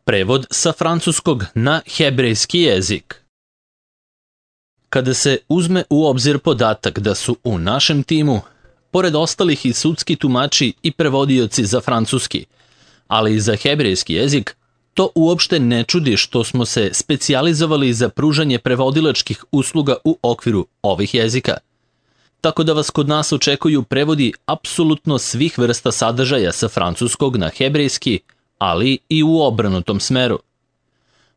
Prevod sa francuskog na hebrejski jezik. Kada se uzme u obzir podatak da su u našem timu, pored ostalih i sudski tumači i prevodioci za francuski, ali i za hebrejski jezik, to uopšte ne čudi što smo se specijalizovali za pružanje prevodilačkih usluga u okviru ovih jezika. Tako da vas kod nas očekuju prevodi apsolutno svih vrsta sadržaja sa francuskog na hebrejski, ali i u obrnutom smeru.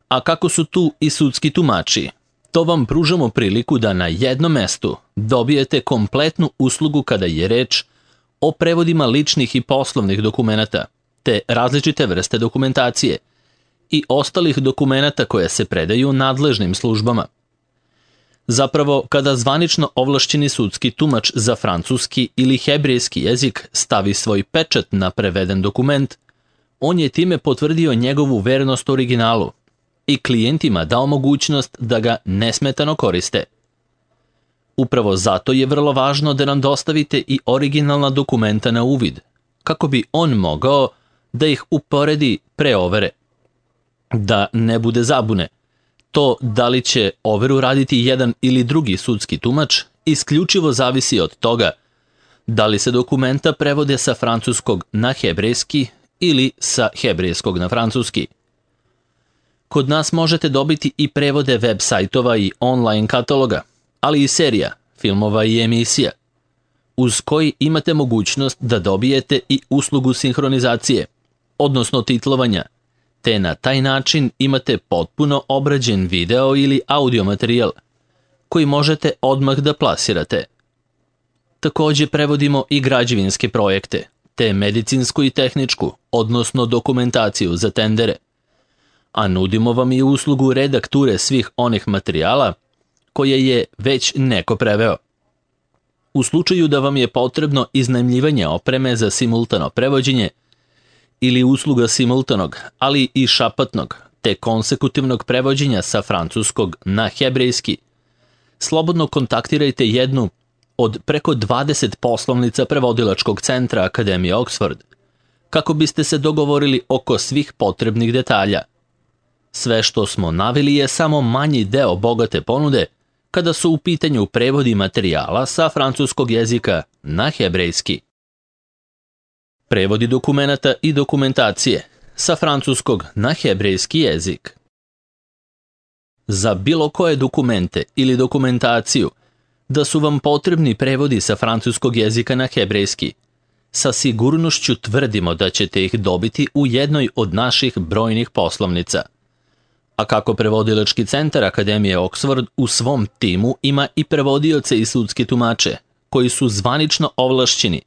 A kako su tu i sudski tumači, to vam pružamo priliku da na jednom mestu dobijete kompletnu uslugu kada je reč o prevodima ličnih i poslovnih dokumenata, te različite vrste dokumentacije i ostalih dokumenata koje se predaju nadležnim službama. Zapravo, kada zvanično ovlašćeni sudski tumač za francuski ili hebrejski jezik stavi svoj pečat na preveden dokument, on je time potvrdio njegovu vernost originalu i klijentima dao mogućnost da ga nesmetano koriste. Upravo zato je vrlo važno da nam dostavite i originalna dokumenta na uvid, kako bi on mogao da ih uporedi pre overe. Da ne bude zabune, to da li će overu raditi jedan ili drugi sudski tumač isključivo zavisi od toga da li se dokumenta prevode sa francuskog na hebrejski ili sa hebrejskog na francuski. Kod nas možete dobiti i prevode web sajtova i online kataloga, ali i serija, filmova i emisija, uz koji imate mogućnost da dobijete i uslugu sinhronizacije, odnosno titlovanja, te na taj način imate potpuno obrađen video ili audio materijal, koji možete odmah da plasirate. Takođe prevodimo i građevinske projekte, te medicinsku i tehničku, odnosno dokumentaciju za tendere, a nudimo vam i uslugu redakture svih onih materijala koje je već neko preveo. U slučaju da vam je potrebno iznajmljivanje opreme za simultano prevođenje ili usluga simultanog, ali i šapatnog, te konsekutivnog prevođenja sa francuskog na hebrejski, slobodno kontaktirajte jednu od preko 20 poslovnica prevodilačkog centra Akademije Oxford, kako biste se dogovorili oko svih potrebnih detalja. Sve što smo naveli je samo manji deo bogate ponude kada su u pitanju prevodi materijala sa francuskog jezika na hebrejski. Prevodi dokumenata i dokumentacije sa francuskog na hebrejski jezik. Za bilo koje dokumente ili dokumentaciju da su vam potrebni prevodi sa francuskog jezika na hebrejski, sa sigurnošću tvrdimo da ćete ih dobiti u jednoj od naših brojnih poslovnica. A kako prevodilački centar Akademije Oxford u svom timu ima i prevodioce i sudske tumače, koji su zvanično ovlašćeni,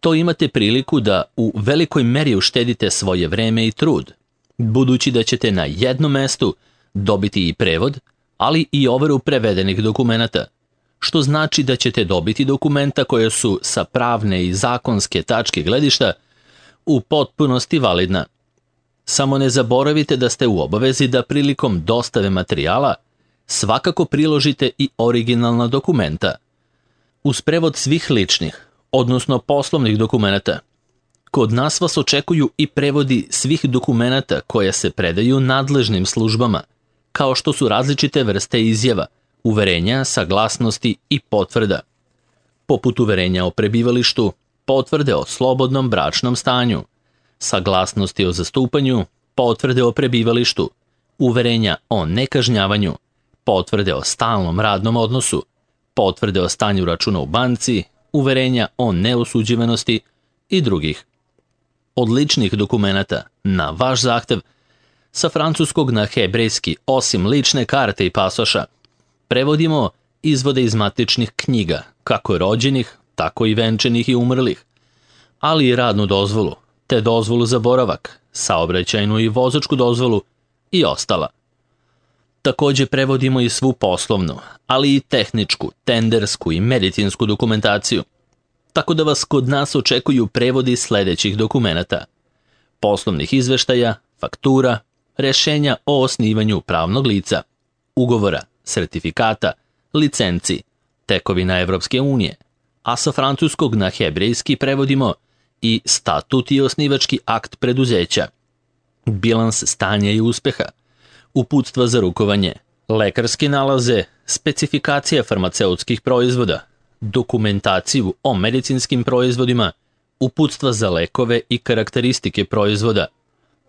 to imate priliku da u velikoj meri uštedite svoje vreme i trud, budući da ćete na jednom mestu dobiti i prevod, ali i overu prevedenih dokumenata, što znači da ćete dobiti dokumenta koje su sa pravne i zakonske tačke gledišta u potpunosti validna. Samo ne zaboravite da ste u obavezi da prilikom dostave materijala svakako priložite i originalna dokumenta. Uz prevod svih ličnih, odnosno poslovnih dokumenata, kod nas vas očekuju i prevodi svih dokumenata koje se predaju nadležnim službama, kao što su različite vrste izjava, uverenja, saglasnosti i potvrda, poput uverenja o prebivalištu, potvrde o slobodnom bračnom stanju, saglasnosti o zastupanju, potvrde o prebivalištu, uverenja o nekažnjavanju, potvrde o stalnom radnom odnosu, potvrde o stanju računa u banci, uverenja o neosuđivanosti i drugih. Od ličnih dokumenata, na vaš zahtev, sa francuskog na hebrejski, osim lične karte i pasoša, prevodimo izvode iz matičnih knjiga, kako rođenih, tako i venčanih i umrlih, ali i radnu dozvolu, te dozvolu za boravak, saobraćajnu i vozačku dozvolu i ostala. Takođe prevodimo i svu poslovnu, ali i tehničku, tendersku i medicinsku dokumentaciju, tako da vas kod nas očekuju prevodi sledećih dokumenata: poslovnih izveštaja, faktura, rešenja o osnivanju pravnog lica, ugovora, sertifikata, licenci, tekovina Evropske unije, a sa francuskog na hebrejski prevodimo i statut i osnivački akt preduzeća, bilans stanja i uspeha, uputstva za rukovanje, lekarske nalaze, specifikacija farmaceutskih proizvoda, dokumentaciju o medicinskim proizvodima, uputstva za lekove i karakteristike proizvoda,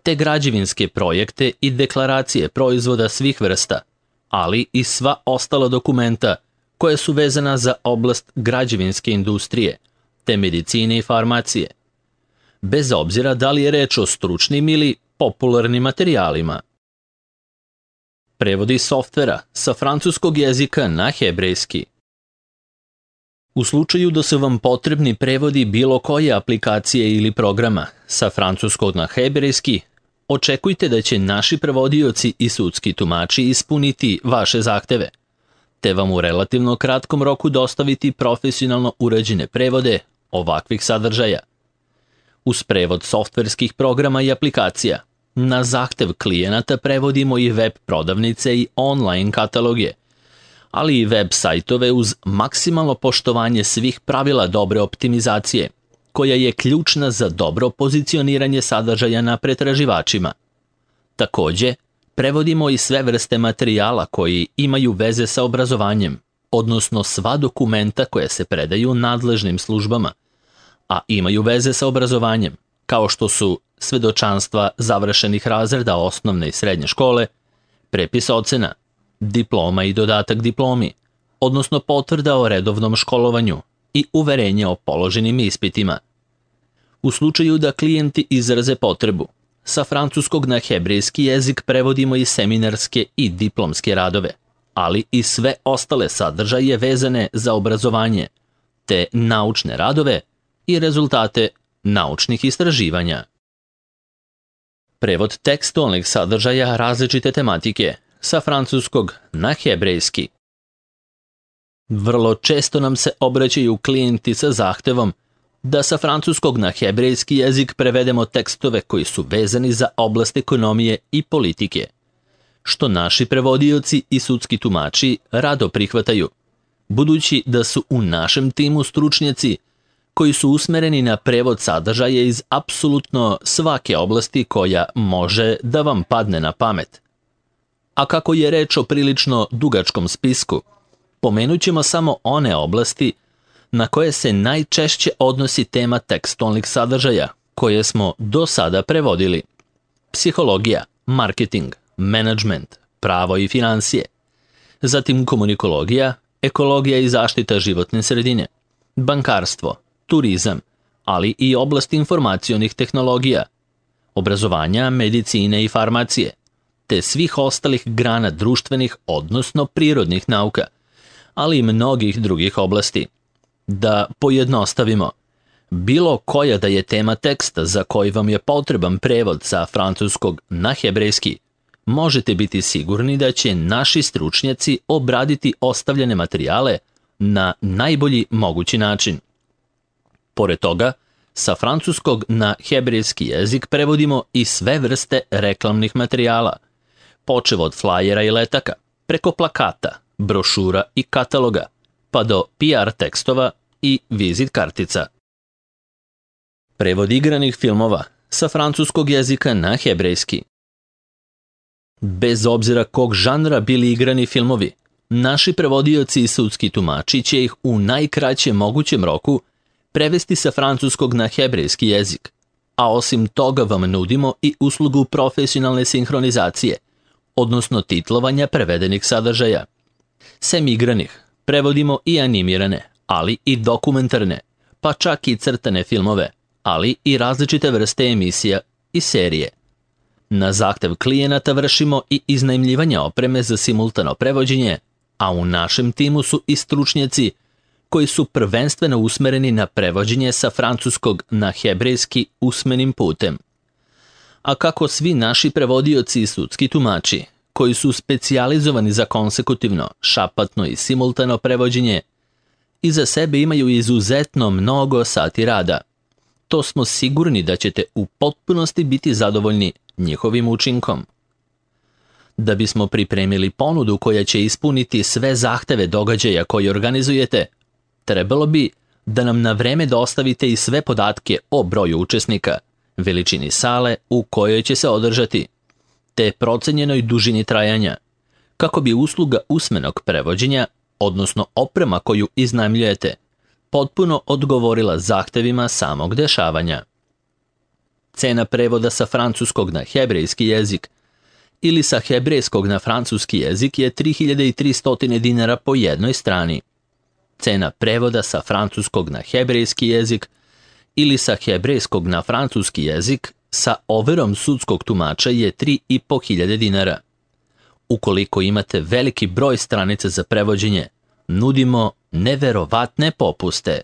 te građevinske projekte i deklaracije proizvoda svih vrsta, ali i sva ostala dokumenta koja su vezana za oblast građevinske industrije, te medicine i farmacije, bez obzira da li je reč o stručnim ili popularnim materijalima. Prevodi softvera sa francuskog jezika na hebrejski. U slučaju da su vam potrebni prevodi bilo koje aplikacije ili programa sa francuskog na hebrejski, očekujte da će naši prevodioci i sudski tumači ispuniti vaše zahteve, te vam u relativno kratkom roku dostaviti profesionalno urađene prevode ovakvih sadržaja. Uz prevod softverskih programa i aplikacija, na zahtev klijenata prevodimo i web prodavnice i online kataloge, ali i web sajtove uz maksimalno poštovanje svih pravila dobre optimizacije, koja je ključna za dobro pozicioniranje sadržaja na pretraživačima. Takođe, prevodimo i sve vrste materijala koji imaju veze sa obrazovanjem, odnosno sva dokumenta koja se predaju nadležnim službama, a imaju veze sa obrazovanjem, kao što su svedočanstva završenih razreda osnovne i srednje škole, prepis ocena, diploma i dodatak diplomi, odnosno potvrda o redovnom školovanju i uverenje o položenim ispitima. U slučaju da klijenti izraze potrebu, sa francuskog na hebrejski jezik prevodimo i seminarske i diplomske radove, ali i sve ostale sadržaje vezane za obrazovanje, te naučne radove i rezultate naučnih istraživanja. Prevod tekstualnih sadržaja različite tematike sa francuskog na hebrejski. Vrlo često nam se obraćaju klijenti sa zahtevom da sa francuskog na hebrejski jezik prevedemo tekstove koji su vezani za oblast ekonomije i politike, što naši prevodioci i sudski tumači rado prihvataju, budući da su u našem timu stručnjaci koji su usmereni na prevod sadržaja iz apsolutno svake oblasti koja može da vam padne na pamet. A kako je reč o prilično dugačkom spisku, pomenut ćemo samo one oblasti na koje se najčešće odnosi tema tekstualnih sadržaja koje smo do sada prevodili: psihologija, marketing, menadžment, pravo i financije, zatim komunikologija, ekologija i zaštita životne sredine, bankarstvo, turizam, ali i oblast informacionih tehnologija, obrazovanja, medicine i farmacije, te svih ostalih grana društvenih, odnosno prirodnih nauka, ali i mnogih drugih oblasti. Da pojednostavimo, bilo koja da je tema teksta za koji vam je potreban prevod sa francuskog na hebrejski, možete biti sigurni da će naši stručnjaci obraditi ostavljene materijale na najbolji mogući način. Pored toga, sa francuskog na hebrejski jezik prevodimo i sve vrste reklamnih materijala, počev od flajera i letaka, preko plakata, brošura i kataloga, pa do PR tekstova i vizit kartica. Prevod igranih filmova sa francuskog jezika na hebrejski. Bez obzira kog žanra bili igrani filmovi, naši prevodioci i sudski tumači će ih u najkraćem mogućem roku prevesti sa francuskog na hebrejski jezik, a osim toga vam nudimo i uslugu profesionalne sinhronizacije, odnosno titlovanja prevedenih sadržaja. Sem igranih, prevodimo i animirane, ali i dokumentarne, pa čak i crtane filmove, ali i različite vrste emisija i serije. Na zahtev klijenata vršimo i iznajmljivanje opreme za simultano prevođenje, a u našem timu su i stručnjaci koji su prvenstveno usmereni na prevođenje sa francuskog na hebrejski usmenim putem. A kako svi naši prevodioci i sudski tumači, koji su specijalizovani za konsekutivno, šapatno i simultano prevođenje, iza sebe imaju izuzetno mnogo sati rada, to smo sigurni da ćete u potpunosti biti zadovoljni njihovim učinkom. Da bismo pripremili ponudu koja će ispuniti sve zahteve događaja koje organizujete, trebalo bi da nam na vreme dostavite i sve podatke o broju učesnika, veličini sale u kojoj će se održati, te procenjenoj dužini trajanja, kako bi usluga usmenog prevođenja, odnosno oprema koju iznajmljujete, potpuno odgovorila zahtevima samog dešavanja. Cena prevoda sa francuskog na hebrejski jezik ili sa hebrejskog na francuski jezik je 3300 dinara po jednoj strani. Cena prevoda sa francuskog na hebrejski jezik ili sa hebrejskog na francuski jezik sa overom sudskog tumača je 3500 dinara. Ukoliko imate veliki broj stranica za prevođenje, nudimo neverovatne popuste.